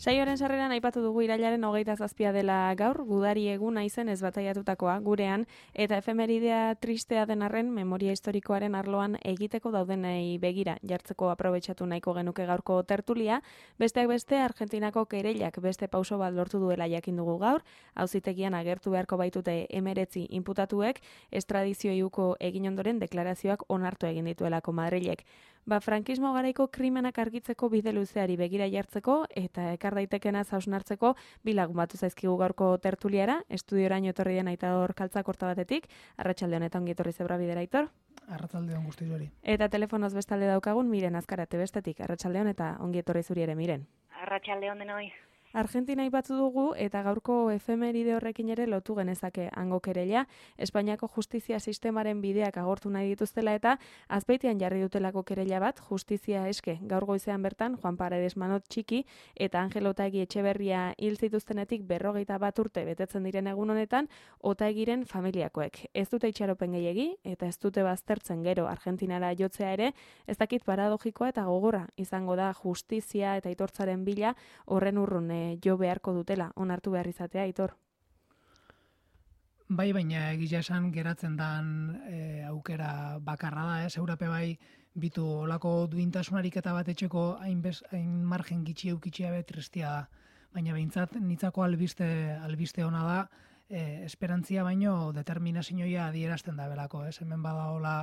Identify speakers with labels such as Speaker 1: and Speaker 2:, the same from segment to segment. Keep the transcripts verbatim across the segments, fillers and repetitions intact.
Speaker 1: Saioaren sarreran aipatu dugu irailaren hogeita zazpia dela gaur, gudari eguna izen ez bataiatutakoa gurean, eta efemeridea tristea den arren memoria historikoaren arloan egiteko daudenei begira jartzeko aprobetxatu nahiko genuke gaurko tertulia, besteak beste Argentinako kereilak beste pauso bat lortu duela jakin dugu gaur, auzitegian agertu beharko baitute emeretzi inputatuek, estradizioi uko egin ondoren deklarazioak onartu egin dituelako Madrilek. Ba, frankismo garaiko krimenak argitzeko bide luzeari begira jartzeko eta ekar daitekena hausnartzeko bi lagun batu zaizkigu gaurko tertuliara, estudioraino etorri den Aitor Kaltzakorta batetik, arratsalde honetan ongi etorri Zebra Bidera, Aitor.
Speaker 2: Arratsalde on guztioi.
Speaker 1: Eta telefonoz bestalde daukagun Miren Azkarate bestetik, arratsalde hon eta ongi etorri zuri ere, Miren.
Speaker 3: Arratsalde on denoi.
Speaker 1: Argentina aipatu dugu eta gaurko efemeride horrekin ere lotu genezake hango kereila, Espainiako justizia sistemaren bideak agortu nahi dituztela eta azpeitian jarri dutelako kereila bat, justizia eske gaur goizean bertan Juan Paredes Manot Txiki eta Angel Otaegi Etxeberria hil zituztenetik berrogeita bat urte betetzen diren egun honetan Otaegiren familiakoek. Ez dute itxaropen gehiegi eta ez dute baztertzen gero Argentinara jotzea ere, ez dakit paradogikoa eta gogorra izango da justizia eta aitortzaren bila horren urrun jo beharko dutela, onartu behar izatea, Aitor.
Speaker 2: Bai, baina egia esan geratzen dan e, aukera bakarra da, ez? Eurape bai bitu olako duintasunarik eta bat etxeko hain, bez, hain margen gitxi eukitxia be tristia da. Baina behintzat nitzako albiste, albiste ona da, e, esperantzia baino determinazioa adierazten da belako, ez? Hemen badaola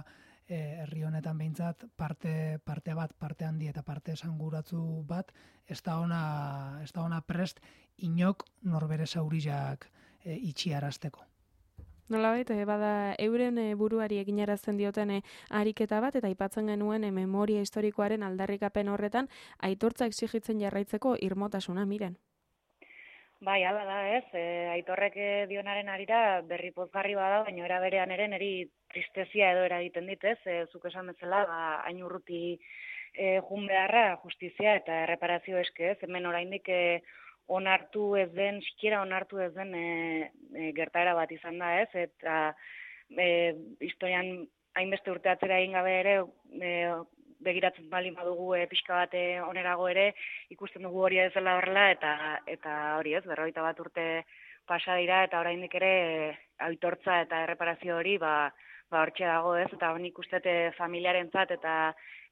Speaker 2: herri honetan behintzat parte, parte bat, parte handi eta parte esanguratzu bat, ez da ona, ez da ona prest inok norbere zauriak e, itxiarazteko.
Speaker 1: Nolabait, bada euren buruari eginarazten dioten ariketa bat eta aipatzen genuen memoria historikoaren aldarrikapen horretan aitortza exigitzen jarraitzeko irmotasuna, Miren.
Speaker 3: Bai, hala da, ez. E, Aitorrek dionaren arira berri pozgarri bada, baina era berean ere niri tristezia edo eragiten dit, ez. E, zuk esan bezala, ba, hain urruti e, jun beharra justizia eta erreparazio eske, ez. Hemen oraindik e, onartu ez den, sikiera onartu ez den e, e, gertaera bat izan da, ez. Eta e, historian hainbeste urte atzera egin gabe ere, e, begiratzen baldin badugu e, pixka bat onerago ere, ikusten dugu hori ez dela horrela, eta eta hori ez, berrogeita bat urte pasa dira, eta oraindik ere e, aitortza eta erreparazio hori, ba, ba hortxe dago ez, eta nik uste familiarentzat eta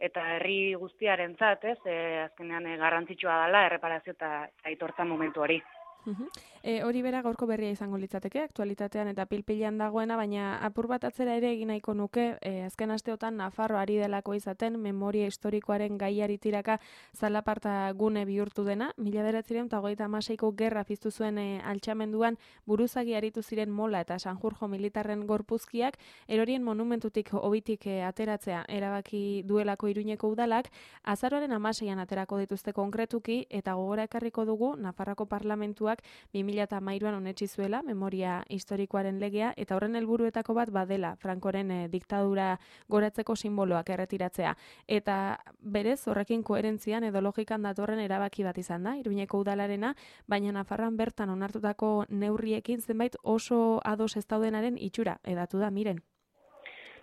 Speaker 3: eta herri guztiarentzat ez, e, azkenean e, garrantzitsua dela erreparazio eta aitortza momentu hori.
Speaker 1: Uh-huh. E, hori bera gaurko berria izango litzateke, aktualitatean eta pilpilan dagoena, baina apur bat atzera ere egin nahiko nuke, e, azken asteotan Nafarro ari delako izaten, memoria historikoaren gaiari tiraka zalaparta gune bihurtu dena, mila bederatziehun eta hogeita hamaseiko gerra piztu zuen e, altxamenduan buruzagi aritu ziren Mola eta Sanjurjo militarren gorpuzkiak, erorien monumentutik hobitik e, ateratzea erabaki duelako Iruñeko udalak, azaroaren hamaseian aterako dituzte konkretuki, eta gogora ekarriko dugu Nafarroko parlamentua bi mila hamairuan onetsi zuela memoria historikoaren legea eta horren helburuetako bat badela Frankoren e, diktadura goratzeko simboloak erretiratzea. Eta berez horrekin koherentzian edo logikan datorren erabaki bat izan da, Iruñeko udalarena, baina Nafarroan bertan onartutako neurriekin zenbait oso ados ez daudenaren itxura edatu da, Miren.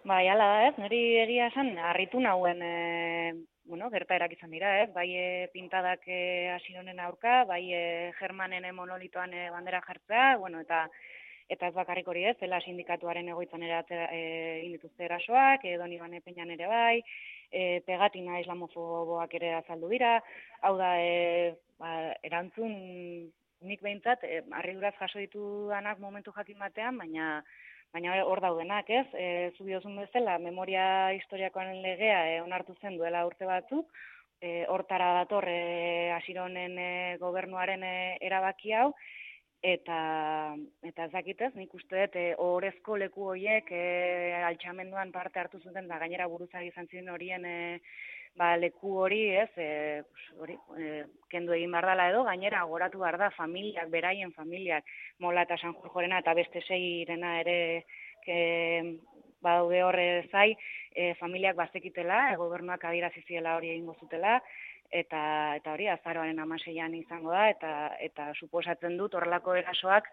Speaker 3: Bai, hala da ez, niri egia esan, harritu nauen e... bueno, gertaerak izan dira, ez? Bai e, pintadak e, Asironen aurka, bai e, Germanen monolitoan e, bandera jartzea, bueno, eta eta ez bakarrik hori ez, zela sindikatuaren egoitzan ere e, indituzte erasoak, e, Donibane Peñan ere bai, e, pegatina islamofoboak ere azaldu dira, hau da, e, ba, erantzun nik behintzat, e, harriduraz jaso ditudanak momentu jakin batean, baina Baina hor daudenak, ez? E, Zubiozun bezala, memoria historiakoaren legea e, onartu zen duela urte batzuk, e, hortara dator e, Asironen e, gobernuaren e, erabaki hau, eta eta ez dakitez, nik uste dut, e, ohorezko leku horiek e, altxamenduan parte hartu zuten, da gainera buruzagi izan ziren horien e, ba, leku hori, ez, e, hori, e, kendu egin behar dela edo, gainera goratu behar da familiak, beraien familiak, Mola eta Sanjurjorena eta beste seirena ere ke, badaude horre zai, e, familiak bazekitela, e, gobernuak adierazi ziela hori egingo zutela, eta eta hori azaroaren hamaseian izango da, eta eta suposatzen dut horrelako erasoak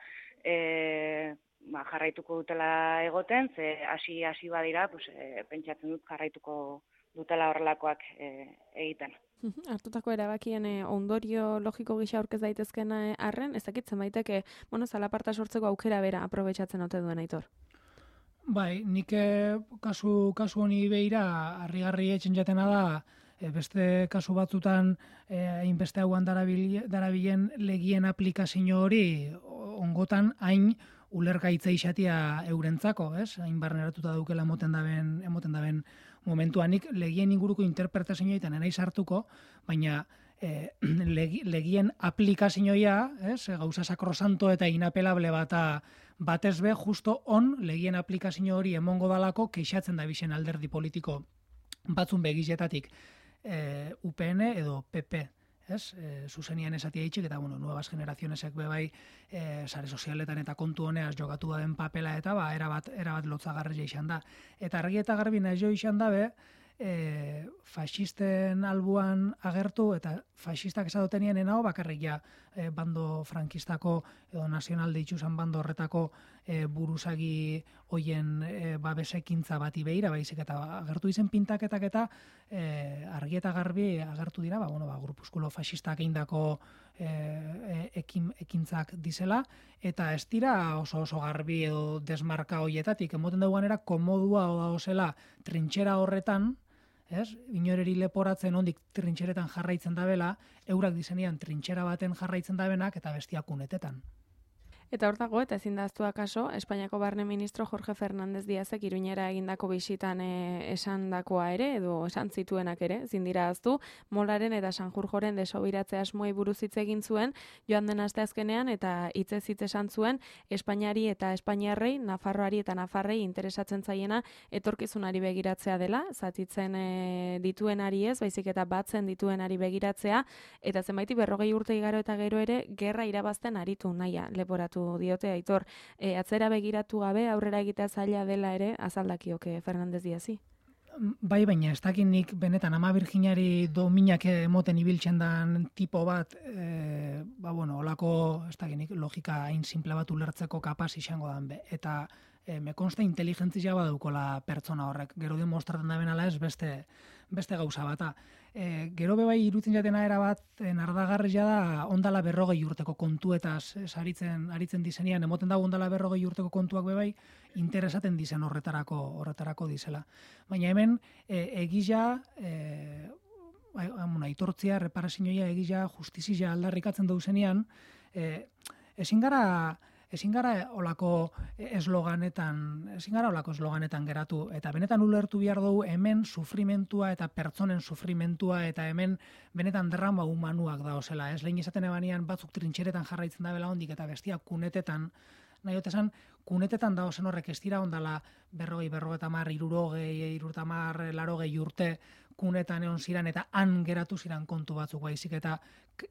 Speaker 3: e, ba, jarraituko dutela egoten, ze hasi hasi badira, pues, e, pentsatzen dut jarraituko dutela horrelakoak e, egiten.
Speaker 1: Hartutako erabakien eh, ondorio logiko gisa aurkez daitezkena eh, arren, ez dakitzen baiteke, bueno, zalaparta sortzeko aukera bera aprobetxatzen ote duen Aitor.
Speaker 2: Bai, nik eh, kasu, kasu honi behira harrigarri etxen jatena da, eh, beste kasu batzutan hainbeste eh, hauan darabilen legien aplikazio hori ongotan hain ulergaitza izatia eurentzako, ez? Hain barneratuta daukela emoten daben, emoten daben momentuanik legien inguruko interpretazioa eta nena sartuko, baina eh, legien aplikazioa, ez? Gauza sakrosanto eta inapelable bata batez be, justo on legien aplikazio hori emongo dalako keixatzen da bizen alderdi politiko batzun begizetatik eh, U P N edo P P. Ez, e, zuzenian esatia itxik, eta, bueno, nuevas generazionesek bebai e, sare sozialetan eta kontu honeaz jokatu den papela eta, ba, erabat, erabat lotzagarria izan da. Eta argi eta garbi nahi jo izan dabe, e, faxisten albuan agertu, eta faxistak esadotenien enao bakarrik ja e, bando frankistako edo nazionalde itxusan bando horretako e, buruzagi hoien e, babesekintza bati behira, baizik eta agertu izen pintaketak eta e, argi eta garbi agertu dira, ba, bueno, ba, grupuskulo faxistak eindako e, e, ekin, ekintzak dizela, eta ez dira oso oso garbi edo desmarka hoietatik, emoten duguanera komodua odazela trintxera horretan, ez? Inoreri leporatzen ondik trintxeretan jarraitzen dabela, eurak dizenean trintxera baten jarraitzen dabenak eta bestiak unetetan.
Speaker 1: Eta hor dago, eta ezin daztua kaso, Espainiako barne ministro Jorge Fernández Díazek Iruñera egindako bisitan e, esandakoa ere, edo esan zituenak ere, ezin dira aztu, Molaren eta Sanjurjoren desobiratze asmoei buruz hitz egin zuen, joan den asteazkenean, eta hitzez hitz esan zuen, Espainiari eta Espainiarrei, Nafarroari eta Nafarrei interesatzen zaiena etorkizunari begiratzea dela, zatitzen e, dituenari ez, baizik eta batzen dituenari begiratzea, eta zenbaiti berrogei urte igaro eta gero ere, gerra irabazten aritu naia, leporatu diote Aitor, e, atzera begiratu gabe aurrera egitea zaila dela ere azaldakioke Fernández Díazi.
Speaker 2: Bai, baina ez dakit nik benetan ama Virginiari dominak emoten ibiltzen dan tipo bat, e, ba bueno, olako ez dakit nik logika hain simple bat ulertzeko kapaz izango dan be. Eta e, me konsta inteligentzia badaukola pertsona horrek. Gero demostratzen da benala ez beste, beste gauza bata. E, gero bebai irutzen jatena era bat nardagarria da ondala berrogei urteko kontuetaz aritzen aritzen dizenean, emoten dago ondala berrogei urteko kontuak bebai interesaten dizen horretarako horretarako dizela. Baina hemen e, egila e, aitortzia, reparazioa egila, justizia aldarrikatzen dauzenean, e, ezin gara ezin gara olako esloganetan, ezin gara olako esloganetan geratu, eta benetan ulertu behar dugu hemen sufrimentua eta pertsonen sufrimentua eta hemen benetan drama humanuak dauzela. Ez lehen izaten ebanean batzuk trintxeretan jarraitzen da bela hondik eta bestiak kunetetan, nahi otesan, kunetetan dauzen horrek ez dira ondala berrogei, berrogeta mar, irurogei, irurotamar, larogei urte kunetan egon ziran eta han geratu ziran kontu batzuk baizik eta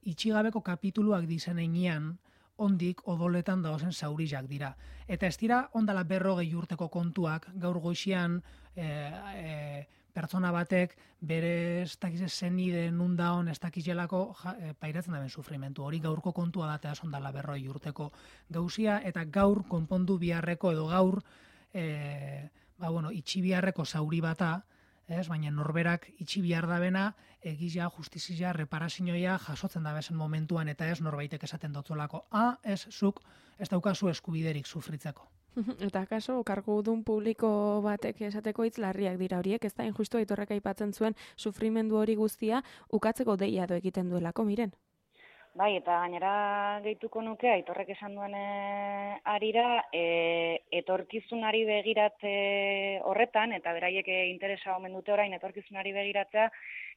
Speaker 2: itxigabeko kapituluak dizen enean, ondik odoletan dauzen zaurizak dira. Eta ez dira ondala berrogei urteko kontuak, gaur goizian e, e, pertsona batek bere ez dakize zenide nundaon ez dakizelako ja, e, pairatzen daben sufrimentu. Hori gaurko kontua da eta ondala berrogei urteko gauzia eta gaur konpondu biharreko edo gaur e, ba, bueno, itxi biharreko zauri bata, ez, baina norberak itxi bihar dabena, egizia, justizia, reparazioa jasotzen dabezen momentuan eta ez norbaitek esaten dotzolako. A, ez, zuk, ez daukazu eskubiderik sufritzeko.
Speaker 1: Eta kaso, kargudun publiko batek esateko hitz larriak dira horiek, ez da injustu Aitorrek aipatzen zuen sufrimendu hori guztia ukatzeko deia do egiten duelako, miren.
Speaker 3: Bai, eta gainera gehituko nuke, Aitorrek esan duen arira, e, etorkizunari begiratze horretan, eta beraiek interesa omen dute orain etorkizunari begiratzea,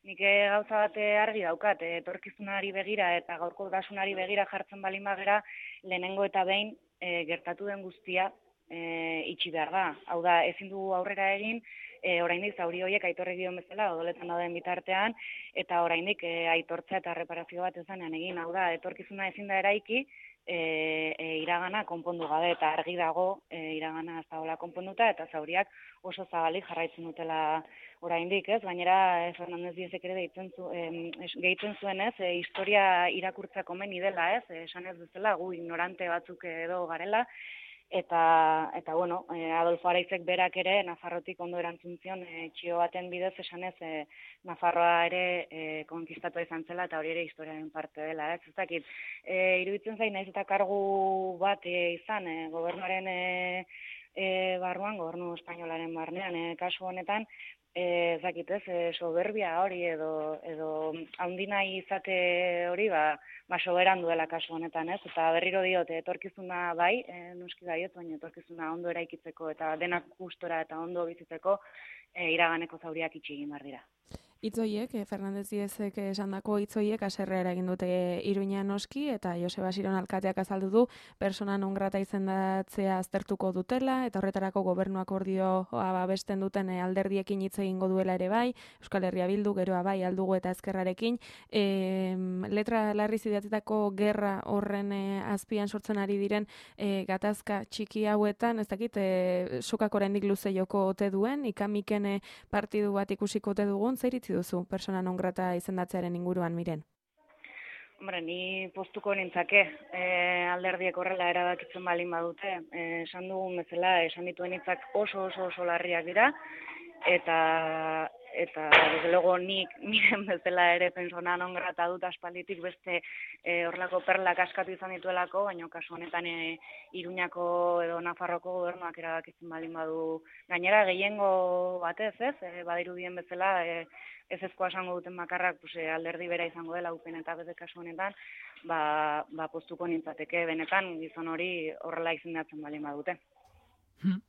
Speaker 3: nik gauza bate argi daukat, etorkizunari begira eta gaurkotasunari begira jartzen balin bagera, lehenengo eta behin e, gertatu den guztia e, itxi behar da. Hau da, ezin du aurrera egin, e, oraindik zauri horiek aitorrek dion bezala odoletan dauden bitartean, eta oraindik e, aitortza eta reparazio bat ezanean egin, hau da, etorkizuna ezin da eraiki, E, e, iragana konpondu gabe, eta argi dago e, iragana ez dagoela konponduta, eta zauriak oso zabalik jarraitzen dutela oraindik, ez? Gainera, e, Fernandez Diezek ere deitzen zu, e, gehitzen zuen, ez? E, historia irakurtzako meni dela, ez? E, esan ez bezala, gu ignorante batzuk edo garela, eta, eta bueno, e, Adolfo Araizek berak ere Nafarrotik ondo erantzun zion e, txio baten bidez esanez e, Nafarroa ere e, konkistatua izan zela eta hori ere historiaren parte dela, ez? Ez dakit, e, iruditzen zain naiz eta kargu bat e, izan e, gobernuaren e, e, barruan, gobernu espainolaren barnean, e, kasu honetan, e, ez dakit ez, e, soberbia hori edo, edo handina izate hori, ba, ba soberan duela kasu honetan, ez? Eta berriro diot, etorkizuna bai, e, noski baiot, baina etorkizuna ondo eraikitzeko eta denak gustora eta ondo bizitzeko e, iraganeko zauriak itxi egin behar dira.
Speaker 1: Itzoiek, eh, Fernandez Diezek esandako hitzoiek haserrea eragin dute Iruña noski, eta Joseba Siron alkateak azaldu du persona non grata izendatzea aztertuko dutela, eta horretarako gobernu akordioa babesten duten alderdiekin hitz egingo duela ere bai, Euskal Herria Bildu, geroa bai, Aldugu eta Ezkerrarekin, e, letra larriz idatzitako gerra horren e, azpian sortzen ari diren e, gatazka txiki hauetan, ez dakit, e, sokak oraindik luze joko ote duen, ikamiken e, partidu bat ikusiko ote dugun, zer itzi duzu persona non grata izendatzearen inguruan, Miren?
Speaker 3: Hombre, ni postuko nintzake, e, alderdiek horrela erabakitzen balin badute, e, esan dugun bezala, esan dituen hitzak oso oso oso larriak dira, eta eta desde luego nik Miren bezala ere persona non grata dut aspalditik beste e, horrelako perlak askatu izan dituelako, baina kasu honetan e, Iruñako edo Nafarroko gobernuak erabakitzen balin badu gainera gehiengo batez, ez? E, badirudien bezala e, ez ezkoa esango duten bakarrak pues, alderdi bera izango dela upen eta bete kasu honetan, ba, ba postuko nintzateke benetan gizon hori horrela izendatzen balin badute.
Speaker 2: Hmm.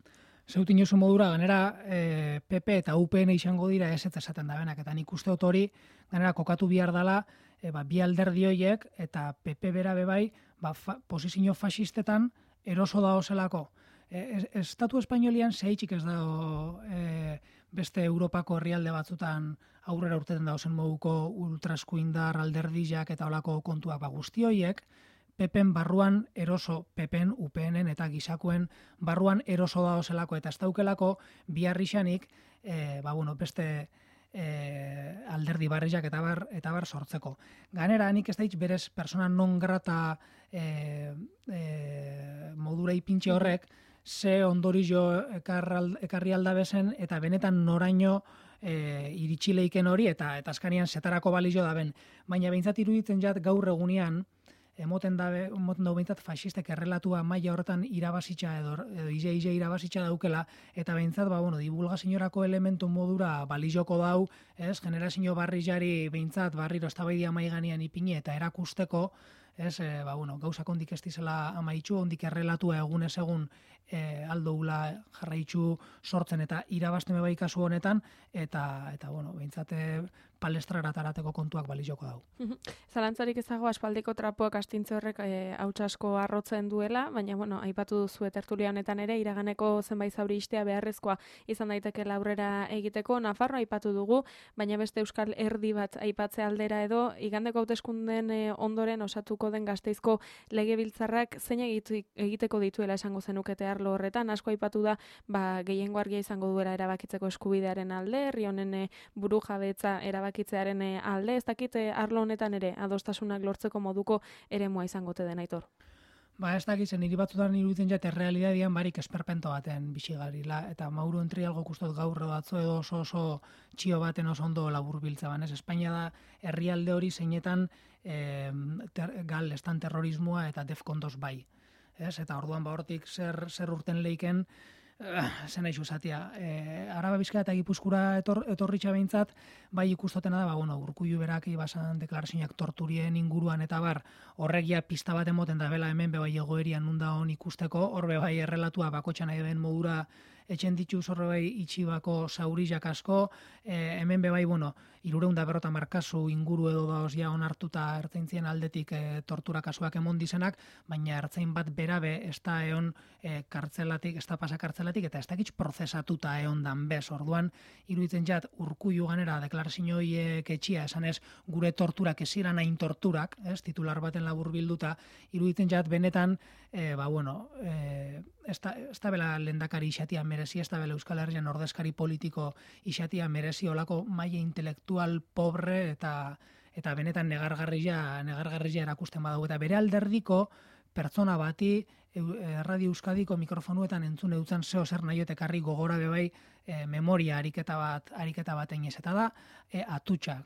Speaker 2: Zeutin oso modura, ganera e, P P eta U P N izango dira ez eta esaten da benak, eta nik uste dut hori, ganera kokatu bihar dela, e, ba, bi alderdi horiek eta P P bera bebai, ba, fa, posizio fasistetan eroso da ozelako. E, Estatu Espainolian zehitxik ez dago e, beste Europako herrialde batzutan aurrera urteten dauzen moduko ultraskuindar alderdizak eta olako kontuak ba, guzti horiek, P Pn barruan eroso, P Pn, U P Nen eta gizakoen barruan eroso da ozelako eta ez daukelako biharrixanik e, ba, bueno, beste e, alderdi barriak eta bar, eta bar sortzeko. Ganera, nik ez daitz berez persona non grata e, e, modura ipintxe horrek, ze ondorio ekarri aldabezen eta benetan noraino e, iritsi leiken hori eta eta azkanian zetarako balio da ben. Baina behintzat iruditzen jat gaur egunean, emoten dabe, emoten dago behintzat faxistek errelatua maila horretan irabazitza edo, edo ize-ize irabazitza daukela, eta behintzat, ba, bueno, divulgazioarako elementu modura balizoko dau, ez, generazio barri jari behintzat barriro eztabaidia maiganean ipini eta erakusteko, ez, e, ba, bueno, gauzak ondik ez dizela amaitxu, ondik errelatua egunez egun e, aldoula jarraitxu sortzen eta irabazten bai kasu honetan, eta, eta bueno, behintzat palestrara tarateko kontuak balizoko dau.
Speaker 1: Zalantzarik ezago aspaldiko trapoak astintze horrek e, hauts asko arrotzen duela, baina bueno, aipatu duzu tertulia honetan ere iraganeko zenbait zauri istea beharrezkoa izan daiteke aurrera egiteko. Nafarroa aipatu dugu, baina beste euskal erdi bat aipatze aldera edo igandeko hauteskunden e, ondoren osatuko den Gasteizko legebiltzarrak zein egiteko dituela esango zenukete arlo horretan. Asko aipatu da, ba, gehiengo argia izango duela erabakitzeko eskubidearen alde, herri honen e, burujabetza erabakitzearen alde, ez dakit arlo honetan ere adostasunak lortzeko moduko eremua izango te den, Aitor.
Speaker 2: Ba, ez dakitzen, niri batzutan iruditzen jate realidadian barik esperpento baten bisigarila, eta Mauro Entrialgo kustot gaur atzo edo oso oso txio baten oso ondo labur biltzaban, ez? Espainia da herrialde hori zeinetan e, ter, gal estan terrorismoa eta defkondos bai, ez? Eta orduan ba hortik zer, zer urten leiken, zen nahi zuzatia. E, Araba Bizkaia eta Gipuzkura etor, etorritxa behintzat, bai ikustotena da, ba, bueno, Urkullu berak ibasan deklarazioak torturien inguruan eta bar, horregia pista bat emoten da bela hemen bebai egoerian nunda hon ikusteko, horbe bai errelatua bakotxa nahi den modura etxen ditu zorroi itxibako zaurizak asko, e, hemen bebai, bueno, hirurehun eta berrogeita hamar kasu inguru edo daoz ja onartuta ertzaintzien aldetik e, tortura kasuak emon dizenak, baina ertzain bat berabe ez da eon e, kartzelatik, ez da pasa kartzelatik, eta ez dakitz prozesatuta eon dan bez. Orduan, iruditzen jat, Urkullu ganera deklarazio horiek etxia, esan ez, gure torturak eziran hain torturak, ez, titular baten labur bilduta, iruditzen jat, benetan, e, ba, bueno, e, ez da, ez da bela lehendakari isatia merezi, ez da bela Euskal Herrian ordezkari politiko isatia merezi, olako maila intelektual pobre eta eta benetan negargarria, negargarria erakusten badago, eta bere alderdiko pertsona bati Radio Euskadiko mikrofonuetan entzun eutzen zeo zer nahi ekarri gogora bebai e, memoria ariketa bat ariketa baten ez, eta da e, atutxa.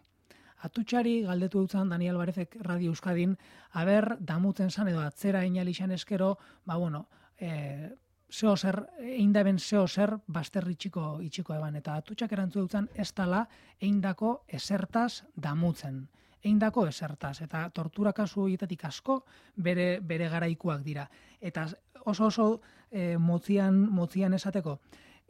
Speaker 2: Atutxari galdetu eutzen Daniel Alvarezek Radio Euskadin, aber damutzen zan edo atzera inalixan eskero, ba bueno, e, zeo zer, eindaben zeo zer basterri itxiko, itxiko eban, eta atutxak erantzu eutzen ez tala eindako esertaz damutzen. Eindako esertaz, eta tortura kasu horietatik asko bere, bere garaikuak dira. Eta oso oso e, motzian, motzian esateko,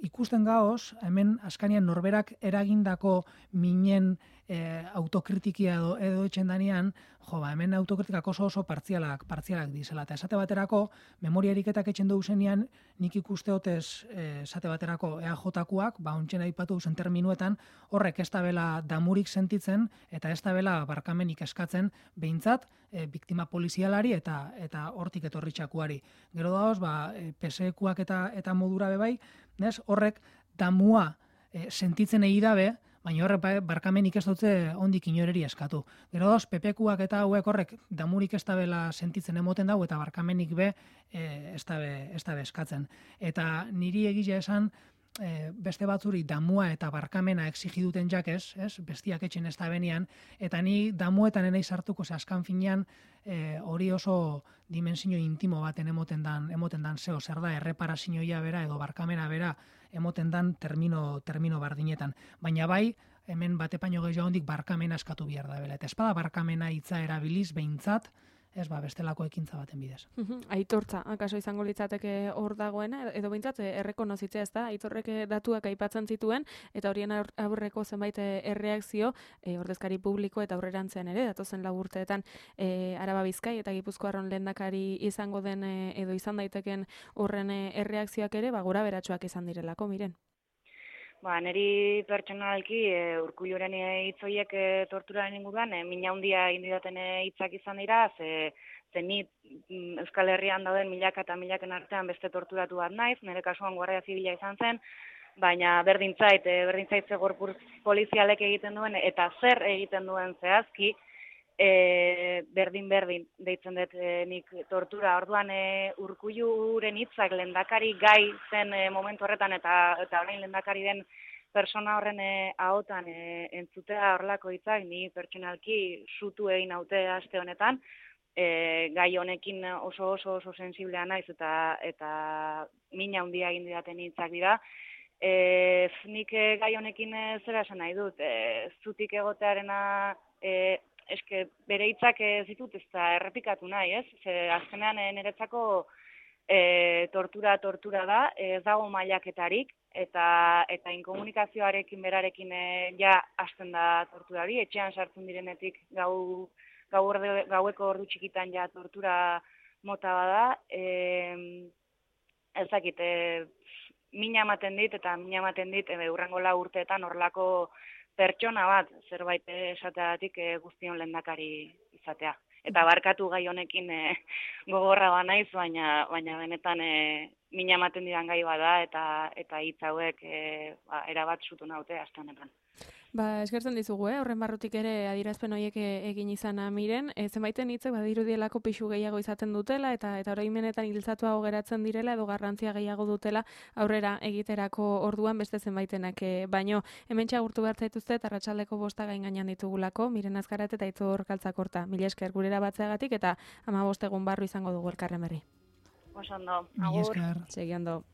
Speaker 2: ikusten gaoz, hemen askanian norberak eragindako minen e, autokritikia edo, edo etxen danean, jo, ba, hemen autokritikak oso oso partzialak, partzialak dizela. Eta esate baterako, memoria eriketak etxen dugu zenean, nik ikuste hotez e, esate baterako E A J-kuak, ba, ontsen aipatu zen terminuetan, horrek ez da bela damurik sentitzen, eta ez da bela barkamenik eskatzen, behintzat, e, biktima polizialari eta eta hortik etorritxakuari. Gero daoz, ba, e, P S E-kuak eta, eta modura bebai, nes, horrek damua e, sentitzen egi dabe, baina horrek barkamenik ez dutze ondik inoreri eskatu. Gero dauz, P P kuak eta hauek horrek damurik ez dabela sentitzen emoten dago, eta barkamenik be e, ez dabe, ez dabe eskatzen. Eta niri egile esan, E, beste batzuri damua eta barkamena exigi duten jakez, ez? Bestiak etxen ez da benian, eta ni damuetan enei sartuko, ze askan finean e, hori oso dimensio intimo baten emoten dan, emoten dan zeo, zer da, erreparazioia bera edo barkamena bera emoten dan termino, termino bardinetan. Baina bai, hemen batepaino gehiago hondik barkamena eskatu behar da bela. Eta espada barkamena hitza erabiliz behintzat, ez ba, bestelako ekintza baten bidez.
Speaker 1: Aitortza, akaso izango litzateke hor dagoena, edo behintzat errekonozitzea, ez da, aitorrek datuak aipatzen zituen, eta horien aurreko zenbait erreakzio, e, ordezkari publiko eta aurrerantzean ere, datozen lau urteetan e, Araba Bizkai eta Gipuzkoarron lehendakari izango den e, edo izan daiteken horren erreakzioak ere, ba, gora beratsuak izan direlako, miren.
Speaker 3: Ba, niri pertsonalki e, Urkulluren hitzoiek e, torturaren inguruan, e, mina handia indidaten hitzak izan dira, ze, ze ni Euskal Herrian dauden milaka eta milaken artean beste torturatu bat naiz, nire kasuan Guardia Zibila izan zen, baina berdintzait, e, berdintzait ze gorputz polizialek egiten duen, eta zer egiten duen zehazki, E, berdin berdin deitzen dut e, nik tortura. Orduan e, Urkulluren hitzak lehendakari gai zen e, momentu horretan eta eta orain lehendakari den persona horren e, ahotan e, entzutea horlako hitzak ni pertsonalki sutu egin naute aste honetan. E, gai honekin oso oso oso sensiblea naiz eta eta mina handia egin didaten hitzak dira. E, nik e, gai honekin e, zera esan nahi dut, e, zutik egotearena e, eske bere hitzak ez ditut ez da errepikatu nahi, ez? Ze azkenean niretzako e, tortura tortura da, ez dago mailaketarik eta eta inkomunikazioarekin berarekin e, ja hasten da tortura hori, etxean sartzen direnetik gau gau orde, gaueko ordu txikitan ja tortura mota bada. E, ez dakit, e, mina ematen dit eta mina ematen dit e, urrengo lau urteetan horlako pertsona bat, zerbait esateagatik e, guztion lehendakari izatea. Eta barkatu gai honekin e, gogorra ba naiz, baina baina benetan e, mina ematen didan gai bada eta eta hitz hauek e, ba, erabat sutu naute aste honetan.
Speaker 1: Ba, eskertzen dizugu, eh? Horren barrutik ere adierazpen horiek egin izana miren, e, zenbaiten hitzek badirudielako pixu gehiago izaten dutela eta eta oraimenetan hiltzatuago geratzen direla edo garrantzia gehiago dutela aurrera egiterako orduan beste zenbaitenak, e, baino hementxe agurtu behar zaituzte eta arratsaldeko bosta gain gainean ditugulako, Miren Azkarat eta Aitzor Kaltzakorta. Mila esker gurera batzeagatik eta hamabost egun barru izango dugu elkarren berri.
Speaker 3: Oso ondo,
Speaker 2: agur.
Speaker 1: Segi ondo.